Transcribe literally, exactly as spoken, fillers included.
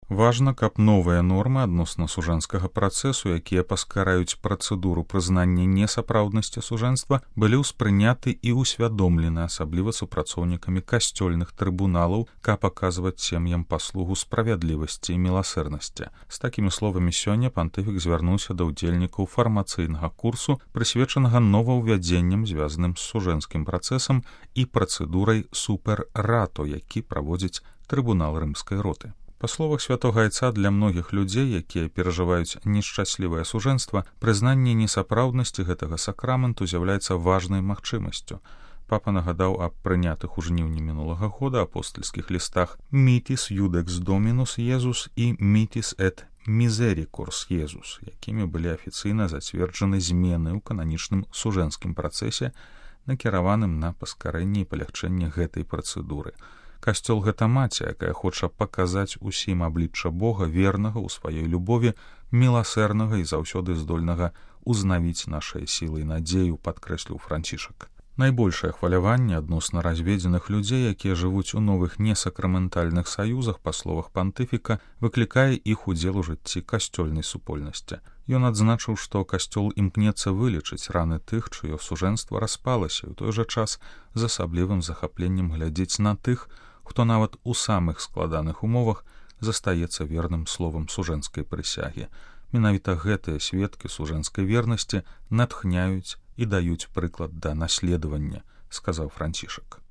Важна, каб новыя нормы адносна сужэнскага працэсу, якія паскараюць працэдуру прызнання несапраўднасці сужэнства, былі ўспрыняты і ўсвядомлены, асабліва супрацоўнікамі касцёльных трыбуналаў, каб аказваць сем'ям паслугу справядлівасці і міласэрнасці. З такімі словамі сёння пантыфік звярнуўся да ўдзельнікаў фармацыйнага курсу, прысвечанага новаўвядзенням, звязаным з сужэнскім працэсам і працэдурай супер-рато, які праводзіць трыбунал рымскай роты. Па словах святога айца, для многіх людзей, якія перажываюць нешчаслівае сужэнства, прызнанне несапраўднасці гэтага сакраменту з'яўляецца важнай магчымасцю. Папа нагадаў аб прынятых у жніўні мінулага года апостальскіх лістах «Mitis Judex Dominus Iesus» і «Mitis et Misericors Iesus», якімі былі афіцыйна зацверджаны змены ў кананічным сужэнскім працэсе, накіраваным на паскарэнне і палягчэнне гэтай працэдуры. Касцёл — гэта маці, якая хоча паказаць усім аблічча Бога, вернага ў сваёй любові, міласэрнага і заўсёды здольнага узнавіць нашыя сілы і надзею, падкрэсліў Францішак. Найбольшае хваляванне адносна разведзеных людзей, якія жывуць у новых несакраментальных саюзах, па словах пантыфіка, выклікае іх удзел у жыцці касцёльнай супольнасці. Ён адзначыў, што касцёл імкнецца вылечыць раны тых, чыё сужэнства распалася, і ў той жа час з асаблівым захапленнем глядзець на тых, хто нават у самых складаных умовах застаецца верным словам сужэнскай прысягі. Менавіта гэтыя сведкі сужэнскай вернасці натхняюць і даюць прыклад да наследавання, сказаў Францішак.